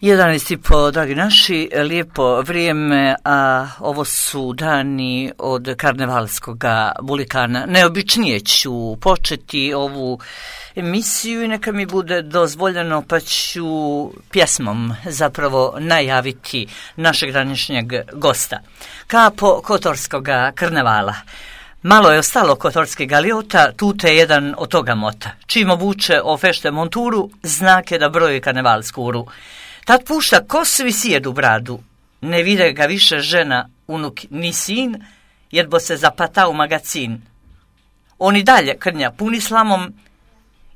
11:30, dragi naši, lijepo vrijeme, a ovo su dani od karnevalskog bulikana. Neobičnije ću početi ovu emisiju i neka mi bude dozvoljeno, pa ću pjesmom zapravo najaviti našeg današnjeg gosta. Kapo kotorskog karnevala. Malo je ostalo kotorskih galiota, tute je jedan od toga mota. Čim obuče o fešte monturu, znak je da broji karnevalsku uru. Tad pušta kosu i sjedu bradu. Ne vide ga više žena, unuk ni sin, jer bo se zapata u magacin. On i dalje krnja puni slamom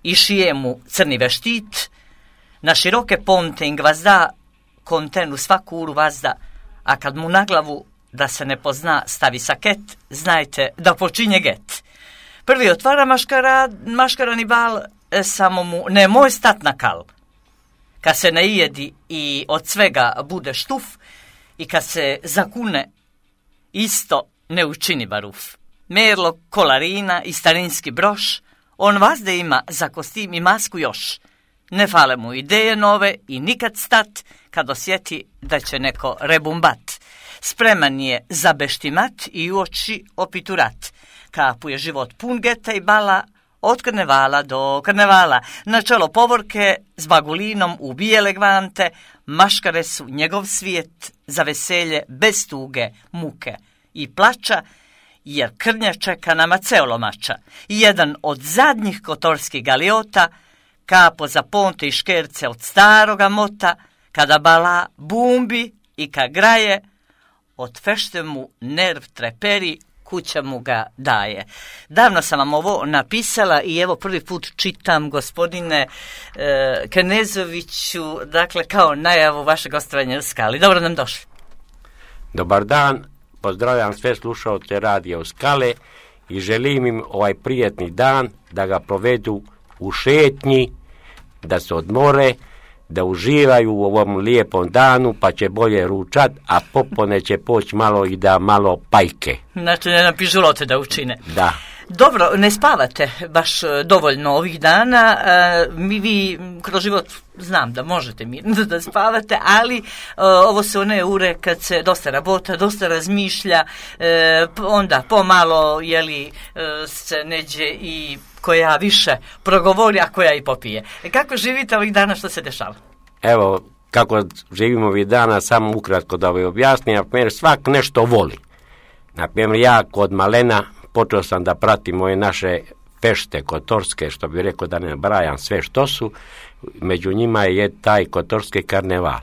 i šije mu crni veštit. Na široke ponte in gvazda, kontenu svaku uru vazda, a kad mu na glavu, da se ne pozna, stavi saket, znajte da počinje get. Prvi otvara maškarani bal, samo mu nemoj stat na kal. Kad se najedi i od svega bude štuf i kad se zakune, isto ne učini baruf. Merlo, kolarina i starinski broš, on vazde ima za kostim i masku još. Ne fale mu ideje nove i nikad stat kad osjeti da će neko rebumbat. Spreman je za beštimat i u oči opiturat. Kapu je život pun geta i bala, od karnevala do karnevala. Na čelo povorke s bagulinom u bijele gvante, maškare su njegov svijet za veselje bez tuge, muke i plača, jer krnja čeka nama ceolomača. Jedan od zadnjih kotorskih galiota, kapo za ponte i škerce od staroga mota, kada bala bumbi i ka graje, od fešte mu nerv treperi, kuća mu ga daje. Davno sam vam ovo napisala i evo prvi put čitam, gospodine Kenezoviću, dakle kao najavu vašeg gostovanja u Skali. Dobro nam došli. Dobar dan, pozdravljam sve slušaoce radija Skale i želim im ovaj prijetni dan da ga provedu u šetnji, da se odmore, da uživaju u ovom lijepom danu, pa će bolje ručat, a popone će poći malo i da malo pajke. Znači ne napišu lote da učine. Da. Dobro, ne spavate baš dovoljno ovih dana, vi kroz život znam da možete mirno da spavate, ali ovo su one ure kad se dosta rabota, dosta razmišlja, onda pomalo se neđe i koja više progovori, a koja i popije. Kako živite ovih dana, što se dešava? Evo, kako živimo ovih dana, samo ukratko da vam objasnim, na primjer, svak nešto voli. Na primjer, ja kod malena počeo sam da pratim ove naše fešte kotorske, što bi rekao da ne brajam sve što su, među njima je taj kotorski karneval.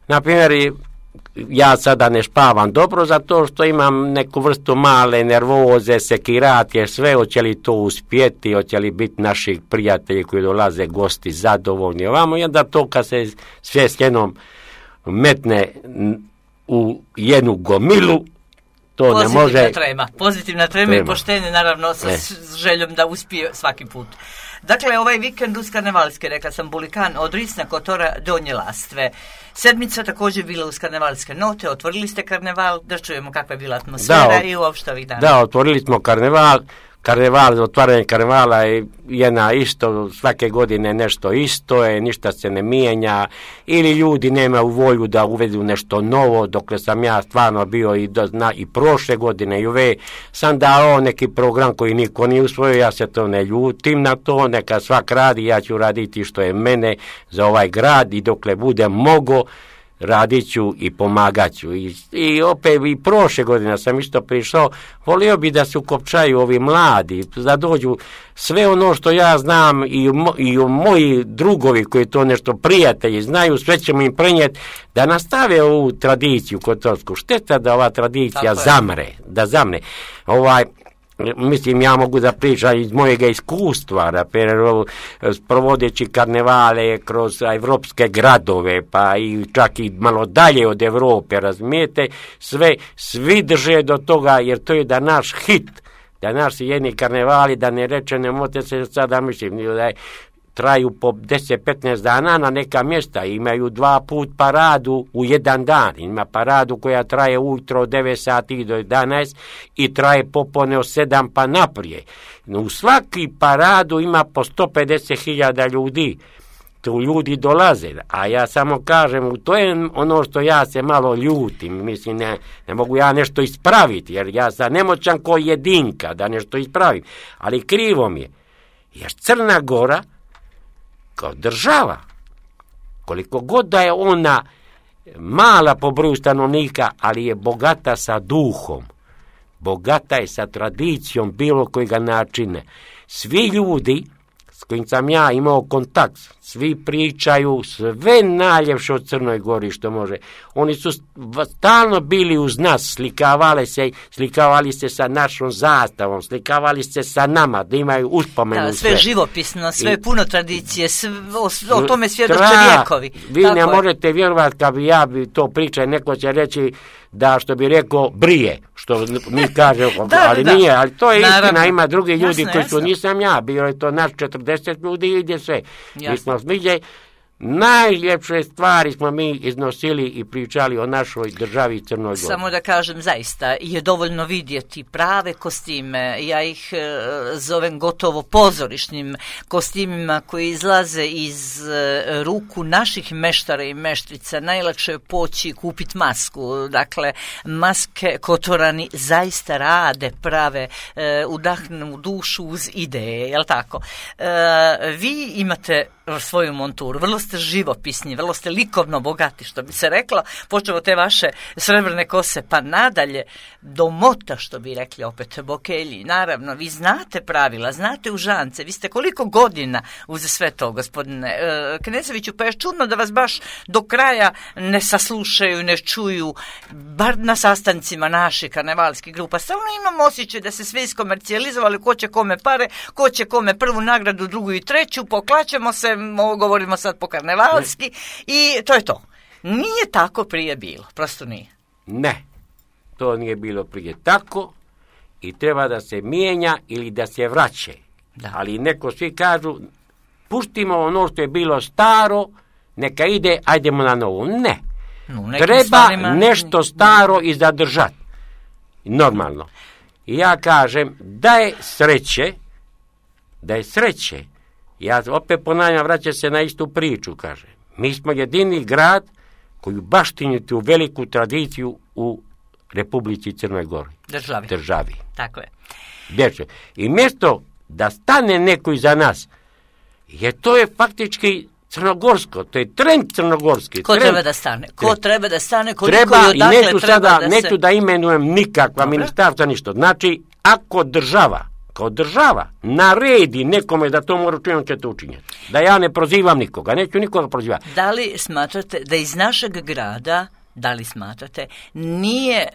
Na primjer, ja sada ne spavam dobro zato što imam neku vrstu male nervoze, sekiratje, sve, hoće li to uspjeti, hoće li biti naših prijatelji koji dolaze gosti zadovoljni ovamo, i onda to kad se sve s jednom metne u jednu gomilu, to pozitivna ne može. Pozitivna trema i poštenje, naravno, sa željom da uspije svaki put. Dakle, ovaj vikend uz karnevalske, rekla sam, bulikan od Risna, Kotora, Donje Lastve. Sedmica također bila uz karnevalske note, otvorili ste karneval, da čujemo kakva je bila atmosfera i uopšte ovih dana. Da, otvorili smo karneval, otvaranje karnevala je jedna isto, svake godine nešto isto je, ništa se ne mijenja, ili ljudi nemaju volju da uvedu nešto novo, dokle sam ja stvarno bio i prošle godine i ove, sam dao neki program koji niko nije usvojio, ja se to ne ljutim na to, neka svak radi, ja ću raditi što je mene za ovaj grad i dokle budem mogo, radit ću i pomagat ću. I opet i prošle godine sam isto prišao, volio bi da se ukopčaju ovi mladi, da dođu sve ono što ja znam i moji drugovi koji to nešto prijatelji znaju, sve ćemo im prenijeti da nastave ovu tradiciju kotorsku. Šteta da ova tradicija zamre. Mislim, ja mogu da pričam iz mojega iskustva, provodeći karnevale kroz evropske gradove, pa i čak i malo dalje od Evrope, razumijete, svi drže do toga, jer to je da naš hit, da naši jedni karnevali, da ne reče, ne možete se sada, mislim, da traju po 10-15 dana na neka mjesta, imaju 2 put paradu u jedan dan, ima paradu koja traje ujutro od 9 sati do 11 i traje popone od 7 pa naprije. U svaki paradu ima po 150.000 ljudi tu ljudi dolaze, a ja samo kažem, to je ono što ja se malo ljutim, mislim, ne mogu ja nešto ispraviti, jer ja sam nemoćan ko jedinka da nešto ispravim, ali krivo mi je, jer Crna Gora kao država, koliko god da je ona mala po broju stanovnika, ali je bogata sa duhom, bogata je sa tradicijom bilo kojega načina. Svi ljudi s kojim sam ja imao kontakt, svi pričaju sve najljepše o Crnoj Gori što može. Oni su stalno bili uz nas, slikavali se sa našom zastavom, slikavali se sa nama, da imaju uspomenu. Da, sve živopisno, sve puno tradicije, o tome svjedoče vjekovi. Vi ne možete vjerovati kad bi ja to pričao, neko će reći da, što bi rekao, brije, što mi kažemo, ali nije, ali to je istina, ima drugi ljudi koji su, nisam ja, bio je to naš 40 ljudi i ide sve. Mi smo smiđe, najljepše stvari smo mi iznosili i pričali o našoj državi Crnoj Gori. Samo da kažem, zaista je dovoljno vidjeti prave kostime, ja ih zovem gotovo pozorišnim kostimima koji izlaze iz ruku naših meštara i meštrica. Najlakše je poći kupiti masku, dakle maske Kotorani zaista rade, prave, udahnu dušu uz ideje, jel tako? Vi imate svoju monturu, vrlo ste živopisni, vrlo ste likovno bogati, što bi se reklo, počeo od te vaše srebrne kose pa nadalje do mota, što bi rekli opet bokelji. Naravno, vi znate pravila, znate užance, vi ste koliko godina uz sve to, gospodine Kneževiću, pa je čudno da vas baš do kraja ne saslušaju, ne čuju, bar na sastancima naših karnevalskih grupa. Stalno imam osjećaj da se sve iskomercijalizovali, ko će kome pare, ko će kome prvu nagradu, drugu i treću, poklaćemo se, govorimo sad po karnevalski i to je to. Nije tako prije bilo, prosto nije. Ne, to nije bilo prije tako i treba da se mijenja ili da se vraća. Ali neko svi kažu, puštimo ono što je bilo staro, neka ide, ajdemo na novo. Ne, treba nešto staro i zadržati. Normalno. I ja kažem, da je sreće, ja opet ponavljam, vraća se na istu priču, kaže. Mi smo jedini grad koji baštini tu veliku tradiciju u Republici Crnoj Gori. Državi. Tako je. I mjesto da stane neko iza nas, jer to je faktički crnogorsko, to je trend crnogorski. Ko treba da stane? Koliko i odakle treba da se... Neću da imenujem nikakva ministarstva, ništa. Znači, ako kao država naredi nekome da to mora učiniti, će to učiniti. Da ja ne prozivam nikoga, neću nikoga prozivati. Da li smatrate da iz našeg grada, nije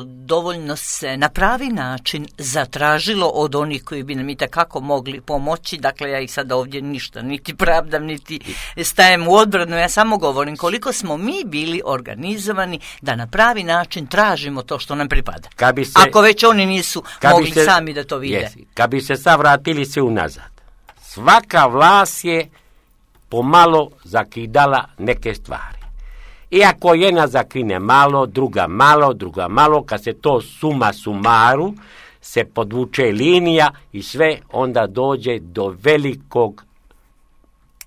dovoljno se na pravi način zatražilo od onih koji bi nam i takako mogli pomoći, dakle ja ih sada ovdje ništa, niti pravdam, niti stajem u odbranu, ja samo govorim koliko smo mi bili organizovani da na pravi način tražimo to što nam pripada. Ako već oni nisu mogli sami da to vide. Kad bi se sad vratili se unazad, svaka vlast je pomalo zakidala neke stvari. Iako jedna zakrine malo, druga malo, kad se to suma sumaru, se podvuče linija i sve onda dođe do velikog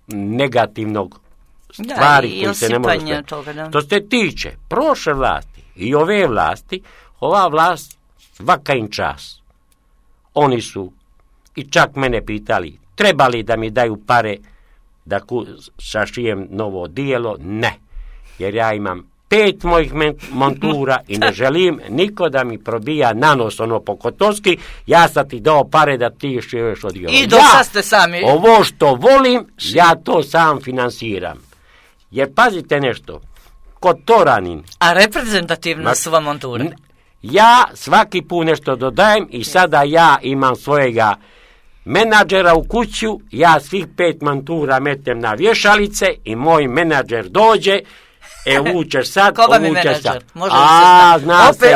negativnog stvari koji se ne može staviti. Što se tiče prošle vlasti i ove vlasti, ova vlast svaka im čas. Oni su i čak mene pitali, treba li da mi daju pare da sašijem novo odijelo? Ne. Jer ja imam 5 mojih montura i ne želim niko da mi probija na nos ono po kotovski, ja sam ti dao pare da ti šiješ odijelo. I do sad ste sami. Ovo što volim, ja to sam finansiram. Jer pazite nešto, Kotoranin. A reprezentativna su vam monture? Ja svaki put nešto dodajem i sada ja imam svojega menadžera u kuću, ja svih 5 montura metem na vješalice i moj menadžer dođe, uvučeš sad, uvučeš sad.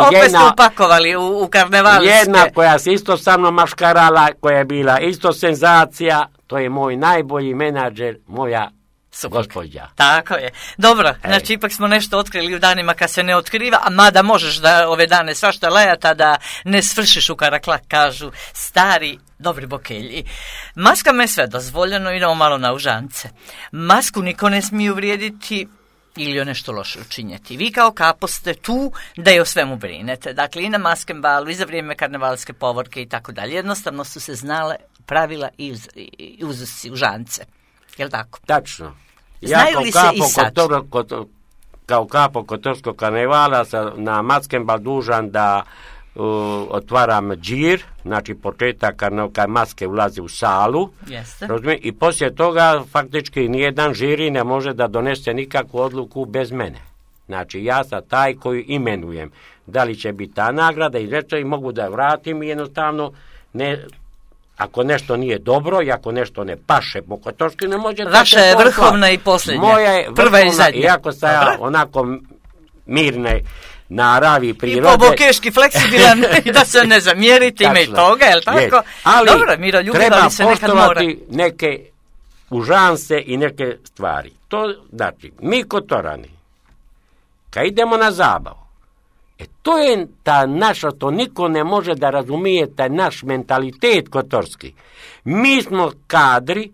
Opet ste upakovali u karnevalske. Jedna koja se isto sa mnom maškarala, koja je bila isto senzacija, to je moj najbolji menadžer, moja gospođa. Tako je. Dobro, znači ipak smo nešto otkrili u danima kad se ne otkriva, a mada možeš da ove dane svašta lajata da ne svršiš u karaklak, kažu stari dobri bokelji. Maskama je sve dozvoljeno, idemo malo na užance. Masku niko ne smije uvrijediti ili joj nešto loše učinjeti. Vi kao kapo ste tu da je o svemu brinete. Dakle, i na Maskenbalu, i za vrijeme karnevalske povorke i tako dalje. Jednostavno su se znale pravila i uzusci, užance. Jel' tako? Tačno. Znaju li se i sad? Kao kapo kotorskog karnevala na Maskenbal dužan da otvaram džir, znači početak kad maske ulaze u salu. Jeste. I poslije toga faktički nijedan žiri ne može da donese nikakvu odluku bez mene. Znači ja sam taj koji imenujem. Da li će biti ta nagrada i mogu da je vratim i jednostavno ne... Ako nešto nije dobro i ako nešto ne paše po kotorski, ne može... Vaša je vrhovna i posljednja. Moja je vrhovna, prva i zadnja. Iako sam ja onako mirne naravi prirode. I pobokeški fleksibilan, da se ne zamjerite, ima i toga, je li tako? Ali dobro, miroljubiva se nekad mora. Treba poštovati neke užanse i neke stvari. To znači, mi kotorani, kad idemo na zabavu, to je ta naša, to niko ne može da razumije, taj naš mentalitet kotorski. Mi smo kadri,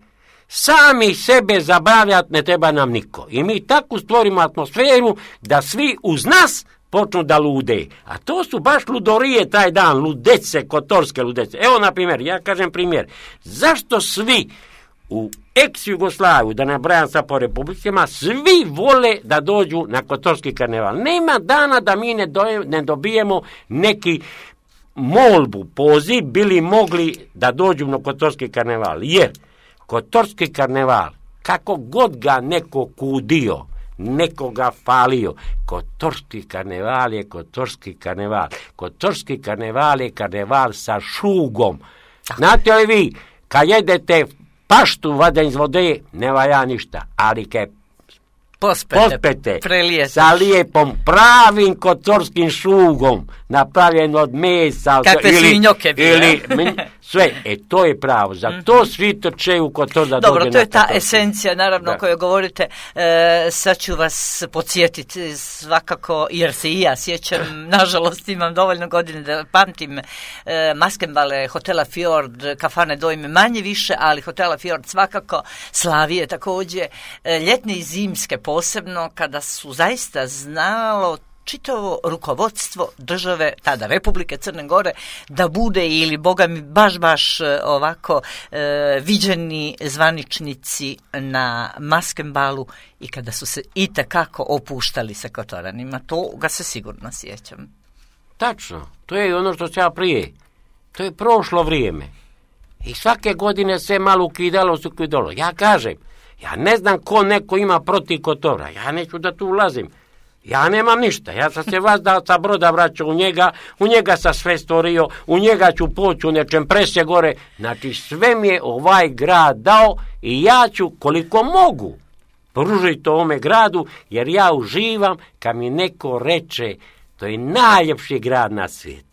sami sebe zabavljati ne treba nam niko. I mi tako stvorimo atmosferu da svi uz nas počnu da lude. A to su baš ludorije taj dan, ludece, kotorske ludece. Evo, na primjer, ja kažem primjer, zašto svi u ex-Jugoslaviju, da ne brajam sad po republikama, svi vole da dođu na kotorski karneval. Nema dana da mi ne dobijemo neki molbu, poziv, bili mogli da dođu na kotorski karneval. Jer kotorski karneval, kako god ga neko kudio, nekoga falio, kotorski karneval je kotorski karneval. Kotorski karneval je karneval sa šugom. Znate li vi, kad jedete paštu vada iz vode, ne valja ništa, ali kad pospete sa lijepom pravim kotorskim šugom, napravljen od mesa kakve svinjoke ili sve, to je pravo. Za to svi trče u Kotor da dobro, dođe. to je ta esencija, naravno, o kojoj govorite. Sad ću vas podsjetiti svakako, jer se i ja sjećam, nažalost imam dovoljno godine da pamtim Maskenbale, Hotela Fjord, kafane dojme manje više, ali Hotela Fjord svakako, Slavije također, ljetne i zimske posebno, kada su zaista znalo čitavo rukovodstvo države, tada Republike Crne Gore, da bude ili, boga mi, baš ovako viđeni zvaničnici na Maskenbalu i kada su se itekako opuštali sa kotoranima. To ga se sigurno sjećam. Tačno, to je ono što se ja prije. To je prošlo vrijeme. I svake godine se malo ukidalo. Ja kažem, ja ne znam ko neko ima protiv Kotora. Ja neću da tu ulazim. Ja nemam ništa, ja sam se vas da sa broda vraćao u njega sam sve stvorio, u njega ću poći u nečem presje gore, znači sve mi je ovaj grad dao i ja ću koliko mogu pružiti ovome gradu, jer ja uživam kad mi neko reče to je najljepši grad na svijetu.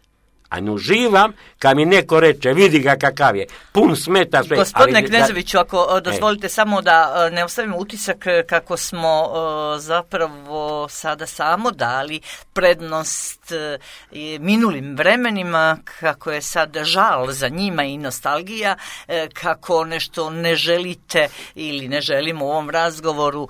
A ne uživam kad mi neko reče, vidi ga kakav je, pun smeta sve. Gospodine Kneževiću, ako dozvolite samo da ne ostavimo utisak kako smo zapravo sada samo dali prednost minulim vremenima, kako je sad žal za njima i nostalgija, kako nešto ne želite ili ne želimo u ovom razgovoru,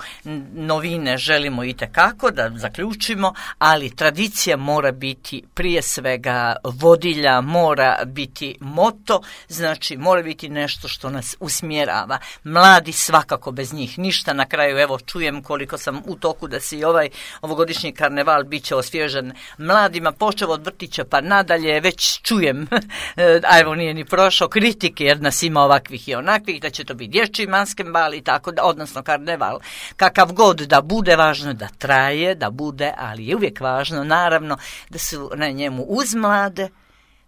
novine želimo itekako da zaključimo, ali tradicija mora biti prije svega vodilja, mora biti moto, znači mora biti nešto što nas usmjerava. Mladi svakako bez njih ništa. Na kraju evo čujem koliko sam u toku da se i ovogodišnji karneval bit će osvježen mladima, počeo od vrtića pa nadalje, već čujem, a evo nije ni prošao, kritike jer nas ima ovakvih i onakvih, da će to biti dječji Maskenbal i tako, odnosno karneval. Kakav god da bude, važno da traje, da bude, ali je uvijek važno naravno da su na njemu uz mlade,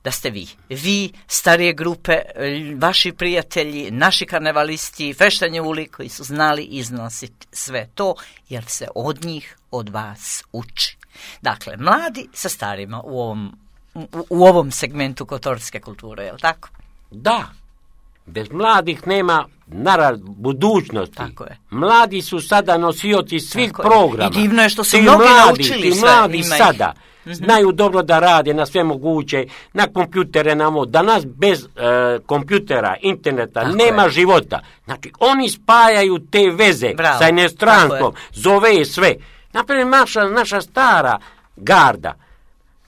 da ste vi, starije grupe, vaši prijatelji, naši karnevalisti, feštanje uli koji su znali iznositi sve to, jer se od njih, od vas uči. Dakle, mladi sa starima u ovom segmentu kotorske kulture, je li tako? Da, Bez mladih nema budućnosti. Tako je. Mladi su sada nosioci svih programa. I divno je što su mnogi naučili sve. Mladi sada znaju dobro da rade na sve moguće, na kompjutere, danas bez kompjutera, interneta nema života. Znači, oni spajaju te veze sa inostranstvom, zove sve. Naprimjer, naša stara garda.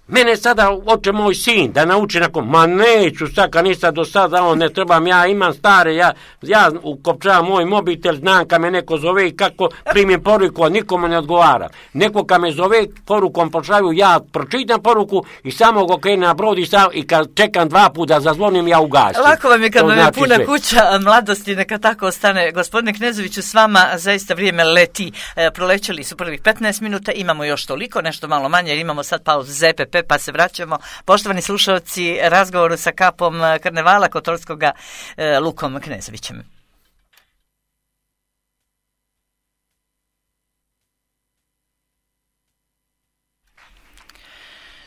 Mene sada hoće moj sin da nauči neću sad, nisam do sada, ne trebam, ja imam stare, ja ukopčavam moj mobitel, znam kad me neko zove i kako primim poruku, a nikome ne odgovara. Neko kad me zove, porukom pošalju, ja pročitam poruku i samo go krenem na brod i kad čekam 2 puta da zazvonim, ja ugasim. Lako vam je kad vam je puna kuća mladosti, neka tako ostane. Gospodine Knezoviću, s vama zaista vrijeme leti. Prolećeli su prvih 15 minuta, imamo još toliko, nešto malo manje, jer imamo sad pauzu ZPP, pa se vraćamo. Poštovani slušalci, razgovoru sa kapom karnevala Kotorskoga Lukom Knezovićem.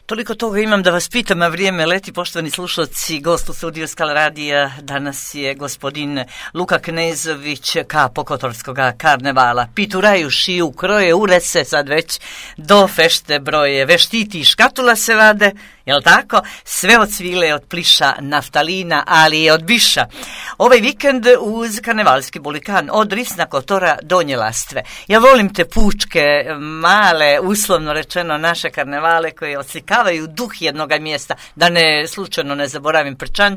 Toliko toga imam da vas pitam, a vrijeme leti. Poštovani slušalci, gost u studiju Skala radija danas je gospodin Luka Knezović, kapo Kotorskoga karnevala. Pituraju, šiju, kroje, urese, sad već do fešte broje, veštiti i škatula se vade, jel tako? Sve od svile, od pliša, naftalina, ali i od biša. Ovaj vikend uz karnevalski bulikan od Risna Kotora do Njelastve. Ja volim te pučke, male, uslovno rečeno naše karnevale koje oslikavaju duh jednoga mjesta, da ne slučajno ne zaboravim Prčanj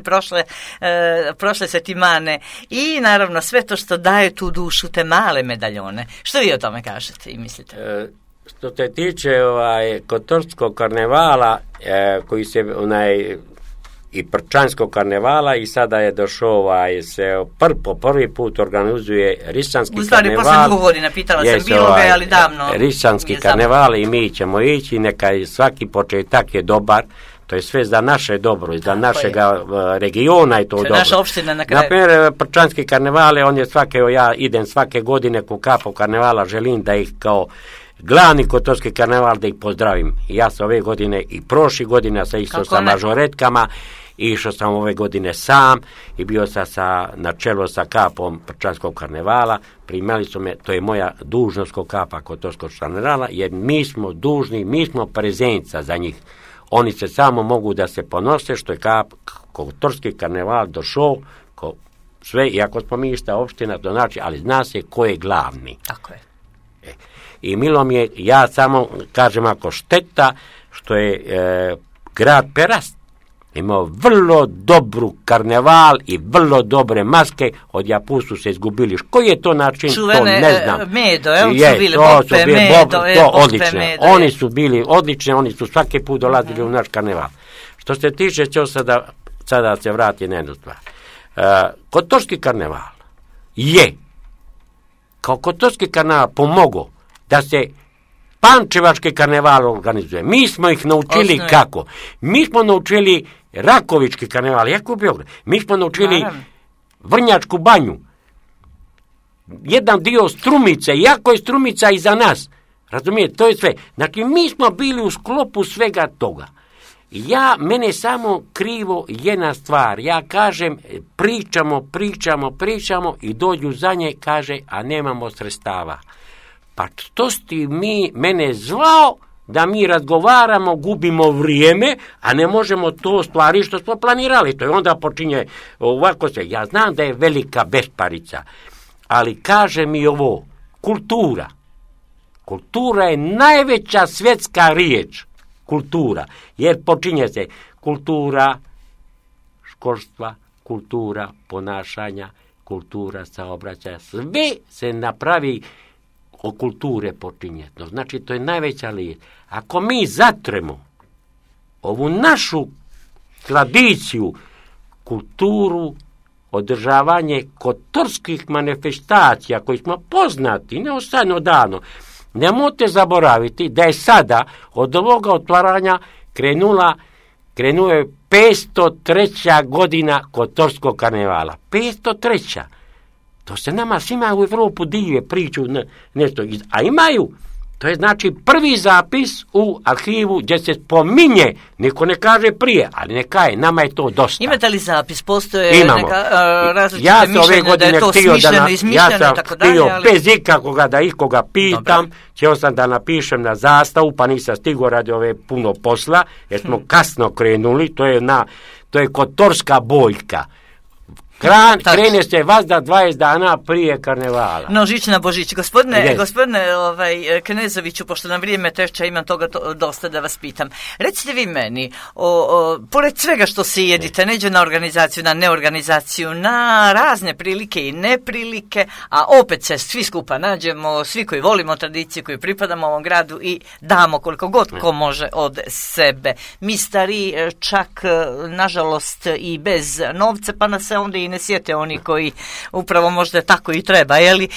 prošle Svetimane i naravno sve to što daje tu dušu, te male medaljone. Što vi o tome kažete i mislite? Što se tiče Kotorskog karnevala, koji se i Prčanskog karnevala, i sada je došao se po prvi put organizuje Risanski karneval. Posle 2 godina, pitala sam bilo ga, ali davno. Risanski karneval i mi ćemo ići, neka svaki početak je dobar, to je sve za naše dobro i za našeg regiona je to dobro. Naša opština na kraju. Naprimjer, Prčanski karneval, ja idem svake godine ko kapo karnevala, želim da ih kao glavni Kotorski karneval da ih pozdravim. I ja sam ove godine i prošli godine sam išao sa mažoretkama, išao sam ove godine sam i bio sam na čelu sa kapom Prčanskog karnevala. Primali su me, to je moja dužnost ko kapa Kotorskog karnevala, jer mi smo dužni, mi smo prezenca za njih. Oni se samo mogu da se ponose što je Kotorski karneval došao sve, iako smo mi ista opština, to znači, ali zna se ko je glavni. Tako je. I milo mi je, ja samo kažem ako šteta što je grad Perast imao vrlo dobru karneval i vrlo dobre maske, od Japusu se izgubili. Koji je to način, to ne znam. Medo, su bili bope, medo. To odlične. Oni su bili odlični, oni su svaki put dolazili u naš karneval. Što se tiče, ću sada se vrati na jednu stvar. Kotorski karneval je kao Kotorski karneval pomogao da se Pančevački karneval organizuje. Mi smo ih naučili kako. Mi smo naučili Rakovički karneval, jako u Beogradu. Mi smo naučili Vrnjačku banju. Jedan dio Strumice, jako je Strumica iza nas. Razumijete, to je sve. Znači, mi smo bili u sklopu svega toga. Mene samo krivo jedna stvar. Ja kažem, pričamo i dođu za nje, kaže, a nemamo sredstava. Pa što si mene zvao da mi razgovaramo, gubimo vrijeme, a ne možemo to stvari što smo planirali. To je onda počinje ovako se. Ja znam da je velika besparica, ali kaže mi ovo, kultura. Kultura je najveća svjetska riječ. Kultura, jer počinje se kultura školstva, kultura ponašanja, kultura saobraćaja. Sve se napravi od kulture počinje. Znači, to je najveća riječ. Ako mi zatremo ovu našu tradiciju, kulturu, održavanje kotorskih manifestacija koji smo poznati, ne ostane odavno, nemojte zaboraviti da je sada od ovoga otvaranja krenuo je 503. godina Kotorskog karnevala. 503. To se nama svima u Evropu dive priču nešto. A imaju To je znači prvi zapis u arhivu gdje se spominje, niko ne kaže prije, ali neka je, nama je to dosta. Imate li zapis? Postoje neka različite mišljenja da je to smišljeno, izmišljeno i tako dalje? Ja sam htio bez ikoga da ikoga pitam, htio sam da napišem na zastavu, pa nisam stigao radi ove puno posla, jer smo kasno krenuli, to je kotorska boljka. Krene se vazda 20 dana prije karnevala. No, žić na Božić. Gospodine Knezoviću, pošto nam vrijeme teče, imam toga dosta da vas pitam. Recite vi meni, pored svega što se jedite, neđe na organizaciju, na neorganizaciju, na razne prilike i neprilike, a opet se svi skupa nađemo, svi koji volimo tradiciju, koji pripadamo ovom gradu i damo koliko god ko može od sebe. Mi stari čak, nažalost, i bez novca, pa nas se onda i ne sjete oni koji upravo možda tako i treba, jeli?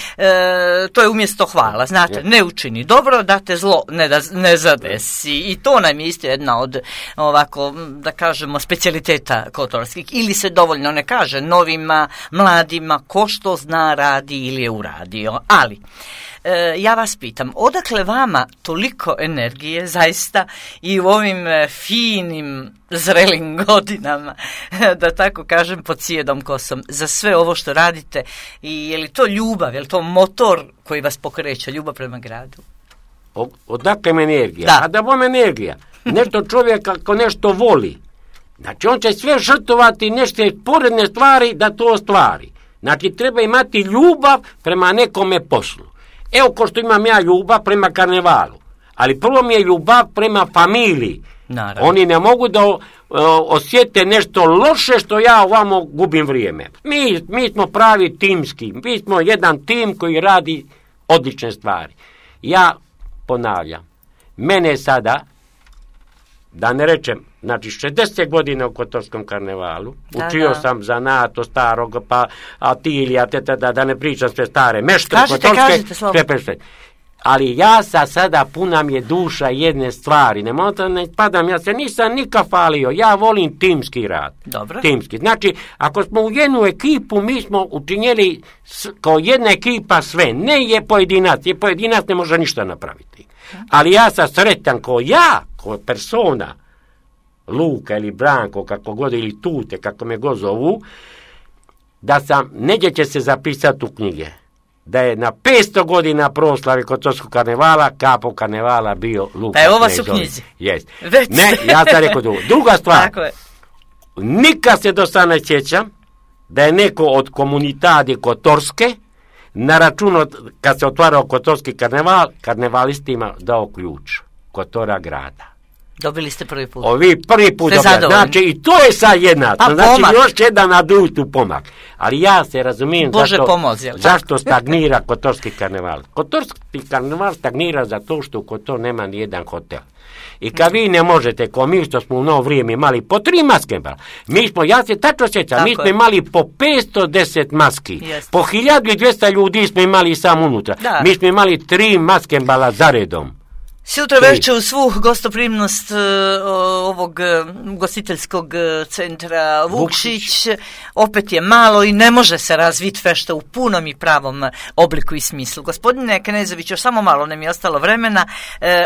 To je umjesto hvala, znate, ne učini dobro, da te zlo ne zadesi. I to nam je isto jedna od, ovako, da kažemo, specijaliteta kotorskih. Ili se dovoljno ne kaže novima, mladima, ko što zna radi ili je uradio. Ali, ja vas pitam, odakle vama toliko energije, zaista, i u ovim finim, zrelim godinama, da tako kažem, pod sjedom kosom, za sve ovo što radite, i je li to ljubav, je li to motor koji vas pokreće, ljubav prema gradu? Odakle mi energija? A da vam energija. Nešto čovjek ako nešto voli, znači on će sve žrtvovati nešto poredne stvari da to ostvari. Znači treba imati ljubav prema nekome poslu. Evo ko što imam ja ljubav prema karnevalu, ali prvo mi je ljubav prema familiji. Naravno. Oni ne mogu da osjete nešto loše što ja ovamo gubim vrijeme. Mi smo pravi timski, mi smo jedan tim koji radi odlične stvari. Ja ponavljam, mene sada, da ne rečem, znači 60 godina u kotorskom karnevalu, učio sam zanato starog, pa Atilija, da ne pričam sve stare, meštre kotorske, sve. Ali ja sada puna mi je duša jedne stvari, ne padam, ja se nisam nikad falio, ja volim timski rad. Dobro. Timski. Znači, ako smo u jednu ekipu, mi smo učinjeli kao jedna ekipa sve, ne je pojedinac, ne može ništa napraviti. Ali ja sam sretan kao persona, Luka ili Branko, kako god, ili Tute, kako me god zovu, da sam, neđe će se zapisati u knjige, da je na 500 godina proslave kotorskog karnevala, kapo karnevala bio Luka. Pa ovo su knjizi. Jest. Ne, ja sam rekao drugo. Druga stvar, nikad se do sada ne sjećam da je neko od komunitadi kotorske na račun kad se otvarao kotorski karneval, karnevalistima dao ključ Kotora grada. Dobili ste prvi put. Ovi prvi put dobili. Znači, i to je sad jedna. Znači, još jedan adultu pomak. Ali ja se razumijem zašto stagnira kotorski karneval. Kotorski karneval stagnira zato što u Kotor nema ni jedan hotel. I kad vi ne možete, ko mi što smo u novo vrijeme imali po 3 maskembala, ja se tačno sjećam, mi smo imali po 510 maski, po 1200 ljudi smo imali samo unutra. Mi smo imali 3 maskembala zaredom. Sutra večer u svu gostoprimnost ovog gostiteljskog centra Vukšić opet je malo i ne može se razviti fešta u punom i pravom obliku i smislu. Gospodine Knezović, još samo malo nam je ostalo vremena.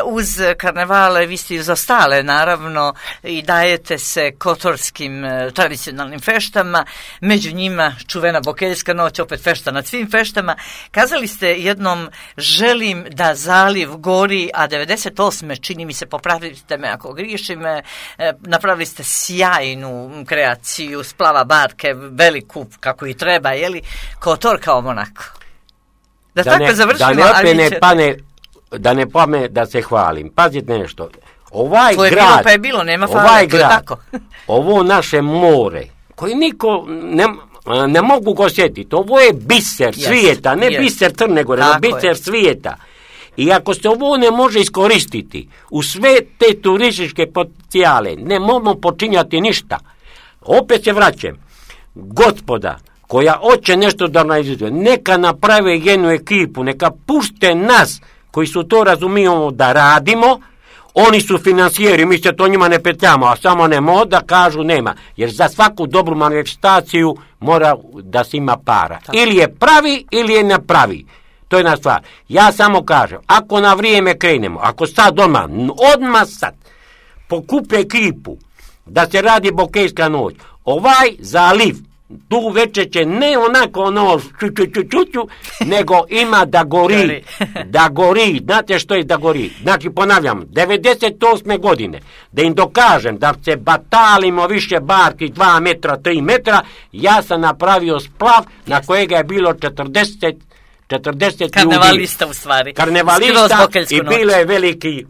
Uz karnevale vi ste izostale, naravno, i dajete se kotorskim tradicionalnim feštama, među njima čuvena Bokeljska noć, opet fešta nad svim feštama. Kazali ste jednom, želim da zaliv gori, a 98. čini mi se, popravite me ako griješim, napravili ste sjajnu kreaciju splava barke, veliku kako i treba, jeli, Kotor kao Monako. Da tako završimo. Da ne pame da se hvalim. Pazite nešto. To je bilo pa je bilo, nema hvala, to je tako. Ovo naše more, koji niko ne mogu ga osjetiti, ovo je biser svijeta, ne biser Crne Gore, nego biser svijeta. I ako se ovo ne može iskoristiti u sve te turističke potencijale, ne možemo počinjati ništa. Opet se vraćam. Gospoda koja hoće nešto da naizvede, neka naprave jednu ekipu, neka pušte nas koji su to razumijemo da radimo, oni su financijeri, mi se to njima ne petljamo, a samo ne da kažu nema. Jer za svaku dobru manifestaciju mora da se ima para. Tako. Ili je pravi, ili je ne pravi. To je jedna stvar. Ja samo kažem, ako na vrijeme krenemo, ako sad odmah sad, pokupe ekipu da se radi Bokejska noć, ovaj zaliv, tu večer će ne onako ono ču, nego ima da gori, da gori, znate što je da gori? Znači ponavljam, 98. godine, da im dokažem da se batalimo više barki 2 metra, 3 metra, ja sam napravio splav na kojega je bilo 40 karnevalista ljudi. U stvari. Karnevalista i bilo je veliki.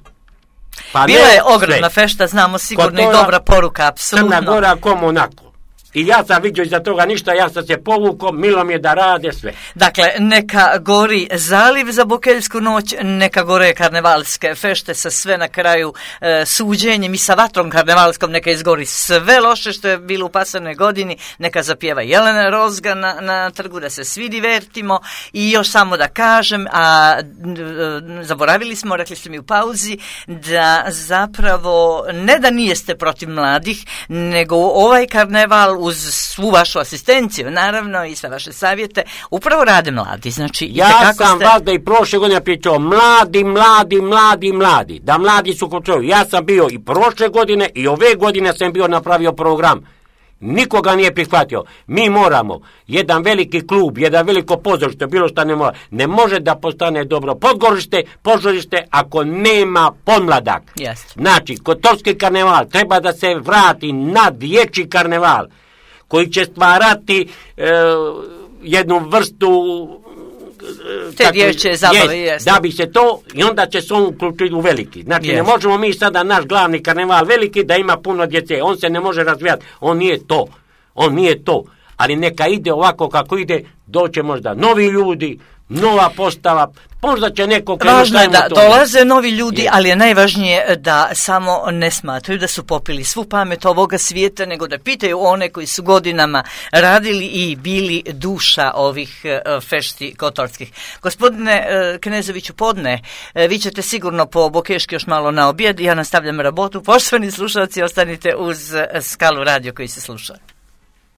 Pa bila je ogromna fešta, znamo sigurno i dobra poruka, apsolutno. Crna Gora kom onako. I ja sam vidio iza toga ništa, ja sam se povukao, milo mi je da rade sve. Dakle, neka gori zaliv za Bokeljsku noć, neka gore karnevalske fešte sa sve na kraju suđenjem i sa vatrom karnevalskom, neka izgori sve loše što je bilo u pasanoj godini, neka zapjeva Jelena Rozga na trgu, da se svi divertimo. I još samo da kažem, a zaboravili smo, rekli ste mi u pauzi, da zapravo ne da nijeste protiv mladih, nego ovaj karneval uz svu vašu asistenciju, naravno, i sve vaše savjete, upravo rade mladi. Znači, ja sam vas da i prošle godine pričao, mladi, da mladi su kontroli. Ja sam bio i prošle godine i ove godine sam bio napravio program. Nikoga nije prihvatio. Mi moramo, jedan veliki klub, jedan veliko pozorište, bilo šta ne može da postane dobro pozorište ako nema podmladak. Yes. Znači, Kotorski karneval treba da se vrati na dječji karneval, koji će stvarati jednu vrstu te dječje zabave, da bi se to, i onda će se on uključiti u veliki. Znači, ne možemo mi sada naš glavni karneval veliki da ima puno djece, on se ne može razvijati, on nije to, ali neka ide ovako kako ide, doće možda novi ljudi, nova postava, možda će neko krenuti. Važno je da dolaze novi ljudi, ali je najvažnije da samo ne smatraju da su popili svu pamet ovoga svijeta, nego da pitaju one koji su godinama radili i bili duša ovih fešti kotorskih. Gospodine Knezoviću Podne, vi ćete sigurno po Bokeški još malo na objed, ja nastavljam rabotu. Poštovani slušalci, ostanite uz Skalu radio koji se sluša.